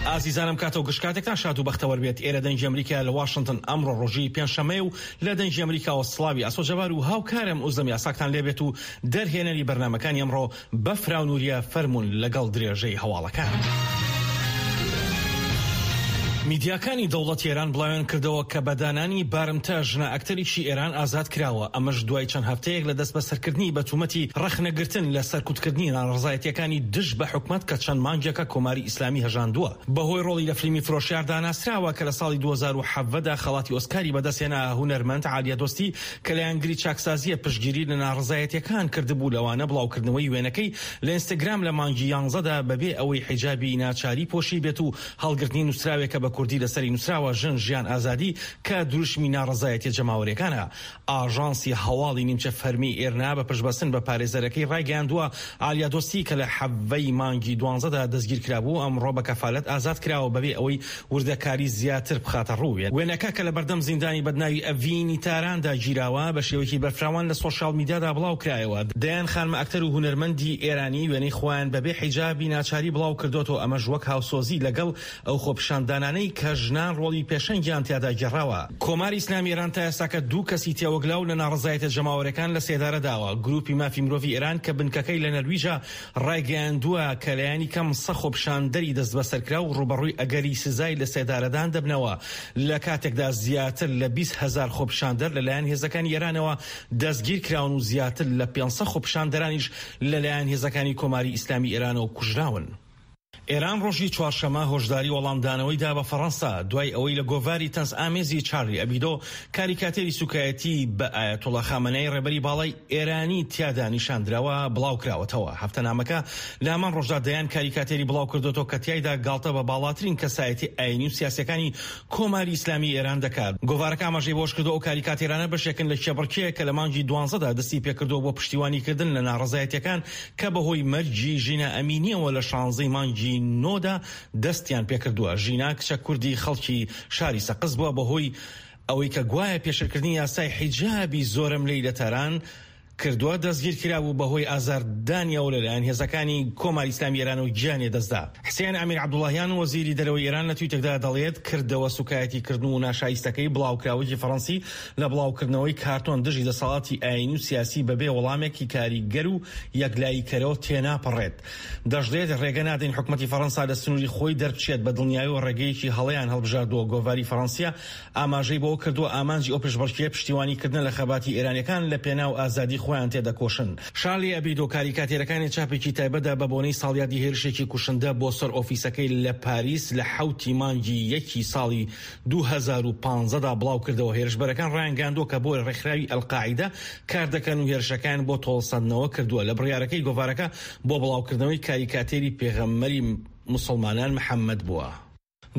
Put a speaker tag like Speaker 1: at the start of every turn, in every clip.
Speaker 1: ئازیزانم کاتە و گشت کاتێکتان شاد و بەختەوەر بێت. ئێرە دەنگی ئەمریکایە لە واشنتن. ئەمڕۆ ڕۆژی پێنجشەممەیە و لە دەنگی ئەمریکاوە سڵاوی ئاسۆ جەبار و هاوکارم ئوزلەم یاساکتان لێبێت و دەرهێنەری بەرنامەکانی ئەمڕۆ بەفراو نوریە فەرموون لەگەڵ درێژەی هەواڵەکان. میدیاکانی دەوڵەتی ئێران بڵاویان کردەوە کە بە دانانی بارمتە ژنە ئەکتەرێکی ئێران ئازاد کراوە، ئەمەش دوای چەند هەفتەیەک لە دەستبەسەرکردنی بە تومەتی ڕەخنەگرتن لە سەرکوتکردنی ناڕەزایەتییەکانی دژ بە حکومەت کە چەند مانگێکە کۆماری ئیسلامی هەژاندووە. بەهۆی ڕۆڵی لە فلیمی فرۆشیاردا ناسراوە کە لە ساڵی 2017 دا خەڵاتی ئۆسکاری بەدەستهێنا، هونەرمەند عالیە دۆستی کە لایەنگری چاکسازییە پشتگیری لە ناڕەزایەتییەکان کردبوو لەوانە بڵاوکردنەوەی وێنەکەی لە ئینستاگرام لە مانگی یانزەدا بەبێ ئەوەی حیجابی ناچاری پۆشیبێت و هەڵگرتنی نووسراوێک کە بە کوردی لەسەری نووسراوە ژن ژیان ئازادی کە دروشمی ناڕەزایەتیە جەماوەریەکانە. ئاژانسی هەواڵی نیمچە فەرمی ئێرنا بە پشتبەستن بە پارێزەرەکەی ڕایگەیاندووە، عالیا دۆستی کە لە حەڤەی مانگی دوانزەدا دەستگیرکرابوو، ئەمڕۆ بە کەفالەت ئازاد کراوە بەبێ ئەوەی وردەکاری زیاتر بخاتە ڕوو. وێنەکە کە لەبەردەم زیندانی بەدناوی ئەڤینی تاراندا گیراوە، بە شێوەیەکی بەرفراوان لە سۆشیال میدیادا بڵاوکرایەوە. دەیان خانمە ئەکتەر و هونەرمەندی ئێرانی وێنەی خۆیان بەبێ حیجابی ناچاری بڵاوکردۆتەوە، ئەمەش وەک هاوسۆزی لەگەڵ ئەو خۆپیشاندانانەی کە ژنان ڕۆڵی پێشەنگیان تیادا گێڕاوە. کۆماری ئیسلامی ئێران تا ئێستاکە دوو کەسی تێوەگلاو لە ناڕەزایەتە جەماوەریەکان لە سێدارە داوە. گروپی مافی مرۆڤی ئێران کە بنکەکەی لە نەرویجە ڕایگەیاندووە کە لایەنی کەم سە خۆپیشاندەری دەستبەسەرکراو ڕووبەڕووی ئەگەری سزای لەسێدارەدان دەبنەوە لە کاتێکدا زیاتر لە 20 هەزار خۆپیشاندەر لەلایەن هێزەکانی ئێرانەوە دەستگیرکراون و زیاتر لە 500 خۆپیشاندەرانیش لەلایەن هێزەکانی کۆماری ئیسلامی ئێرانەوە کوژراون. ئێران ڕۆژی چوارشەممە هۆشداری وەڵامدانەوەی دا بە فەڕەنسا دوای ئەوەی لە گۆڤاری تەنزئامێزی چارلی ئەبیدۆ کاریکاتێری سوکایەتی بە ئایەتوڵا خامەنەی ڕێبەری باڵای ئێرانی تیادا نیشاندراوە بڵاوکراوەتەوە. هەفتەنامەکە لە هەمان ڕۆژدا دەیان کاریکاتێری بڵاوکردۆتەوە کە تیایدا گاڵتە بە باڵاترین کەسایەتی ئایینی و سیاسیەکانی کۆماری ئیسلامی ئێران دەکات. گۆڤارەکە ئاماژەی بەوەشکردووە، ئەو کاریکاتێرانە بەشێکن لە کێبڕکێ کە لە مانگی دوانزەدا دەستی پێکردووە بۆ پشتیوانیکردن لە ناڕەزایەتیەکان کە بەهۆی مەرگی ژینا ئەمینییەوە لە شانزەی مانگی نۆدا دەستیان پێکردووە. ژینا کچە کوردی خەڵکی شاری سەقز بووە، بەهۆی ئەوەی کە گوایە پێشێلکردنی یاسای حیجابی زۆرەملێی لە تاران کردووە، دەستگیرکرابوو، بەهۆی ئازاردانیەوە لەلایەن هێزەکانی کۆماری ئیسلامی ئێرانەوە گیانی لەدەستدا. حسێن ئەمیر عەبدوڵاهیان وەزیری دەرەوەی ئێران لە تویتێکدا دەڵێت، کردەوە سوکایەتیکردن و ناشایستەکەی بڵاوکراوەیەکی فەڕەنسی لە بڵاوکردنەوەی کارتۆن دژی دەسەڵاتی ئایینی و سیاسی بەبێ وەڵامێکی کاریگەر و یەکلاییکەرەوە تێناپەڕێت. دەشڵێت، رێگە نادەین حکومەتی فەڕەنسا لە سنووری خۆی دەربچێت، بە دڵنیایەوە رێگەیەکی هەڵەیان هەڵبژاردووە. گۆڤاری فەڕەنسییە ئاماژەی بەوە کردووە، ئامانجی ئەو پێشبڕکێیە پشتیوانیکردنە لە خەباتی ئێرانییەکان لە پێناو ئازادی خۆیان تێدەکۆشن. شارلی ئەبیدۆ کاریکاتێرەکانی چاپێکی تایبەتدا بە بۆنەی ساڵیادی هێرشێکی کوشندە بۆ سەر ئۆفیسەکەی لە پاریس لە حەوتی مانگی یەکی ساڵی 2015 دا بڵاوکردەوە، هێرشبەرەکان ڕایانگەیاندووە کە بۆ ڕێکخراوی ئەلقاعیدە کاردەکەن و هێرشەکەیان بۆ تۆڵەسەندنەوە کردووە لە بڕیارەکەی گۆڤارەکە بۆ بڵاوکردنەوەی کاریکاتێری پێغەمبەری موسڵمانان محەممەد بووە.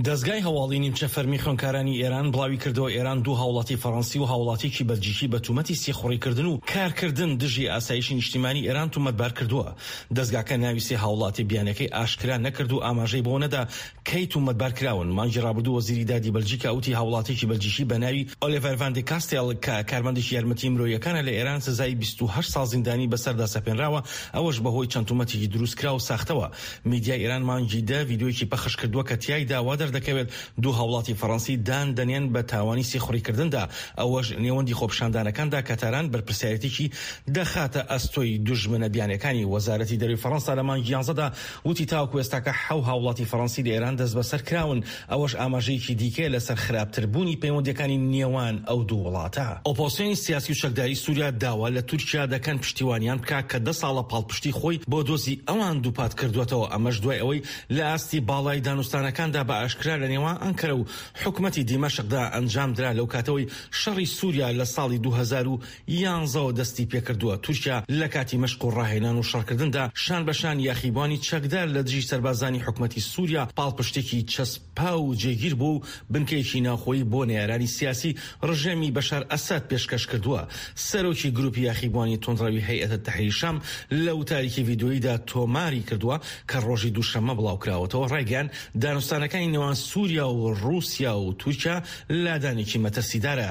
Speaker 1: دەزگای هەواڵی نیمچە فەرمی خوێندکارانی ئێران بڵاویکردەوە، ئێران دوو هاوڵاتی فەڕەنسی و هاوڵاتیەکی بەلجیکی بە تومەتی سیخوڕیکردن و کارکردن دژی ئاسایشی نیشتیمانی ئێران تومەتبار کردووە. دەزگاکە ناوی سێ هاوڵاتیە بیانیەکەی ئاشکرا نەکرد و ئاماژەی بەوە نەدا کەی تومەتبار کراون. مانگی ڕابردوو وەزیری دادی بەلجیکا وتی هاوڵاتیەکی بەلجیکی بە ناوی ئۆلیڤەر ڤان دی کاستێل کە کارمەندێکی یارمەتی مرۆییەکانە لە ئێران سزای 28 ساڵ زیندانی بەسەردا سەپێنراوە، ئەوەش بەهۆی چەند تومەتێکی دروستکراو و ساختەوە. میدیای ئێران مانگی دە ڤیدیۆیەکی پەخش کردووە کە تیایدا وا دەردەکەوێت دوو هاوڵاتی فەڕەنسی دان دەنێن بە تاوانی سیخوڕیکردندا، ئەوەش نێوەندی خۆپیشاندانەکاندا کە تاران بەرپرسیارێتیی دەخاتە ئەستۆی دوژمنە بیانیەکانی. وەزارەتی دەرەوەی فەڕەنسا لە مانگی یانزەدا وتی تاوەکو ئێستاکە حەو هاوڵاتی فەڕەنسی لە ئێران دەستبەسەر کراون، ئەوەش ئاماژەیەکی دیکەیە لەسەر خراپتربوونی پەیوەندییەکانی نێوان ئەو دوو وڵاتە. ئۆپۆزسیۆنی سیاسی و چەکداری سوریا داوا لە تورکیا دەکەن پشتیوانیان بکات کە دە ساڵە پاڵپشتی خۆی بۆ دۆزی ئەوان دووپات کردووەتەوە، ئەمەش دوای ئەوەی لە ئاستی باڵای دانوستانەکاندا بە ئاشکرا لە نێوان ئەنکەرە و حکومەتی دیمەشقدا ئەنجامدرا لەوکاتەوەی شەڕی سوریا لە ساڵی 2011 ەوە دەستی پێکردووە، تورکیا لە کاتی مەشق و ڕاهێنان و شەڕکردندا شان بە شانی یاخیبوانی چەکدار لە دژی سەربازانی حکومەتی سوریا پاڵپشتێکی چەسپاو و جێگیر بووە و بنکەیەکی ناوخۆیی بۆ نەیارانی سیاسی ڕژێمی بەشار ئەسەد پێشکەش کردووە. سەرۆکی گروپی یاخیبوانی توندڕەوی هەیئەت تەحریر شام لە وتارێکی ڤیدیۆییدا تۆماری کردووە کە ڕۆژی دووشەممە بڵاوکراوەتەوە ڕایگەیاند دانوستانەکانی نێوان سوریا و ڕووسیا و تورکیا لادانێکی مەترسیدارە.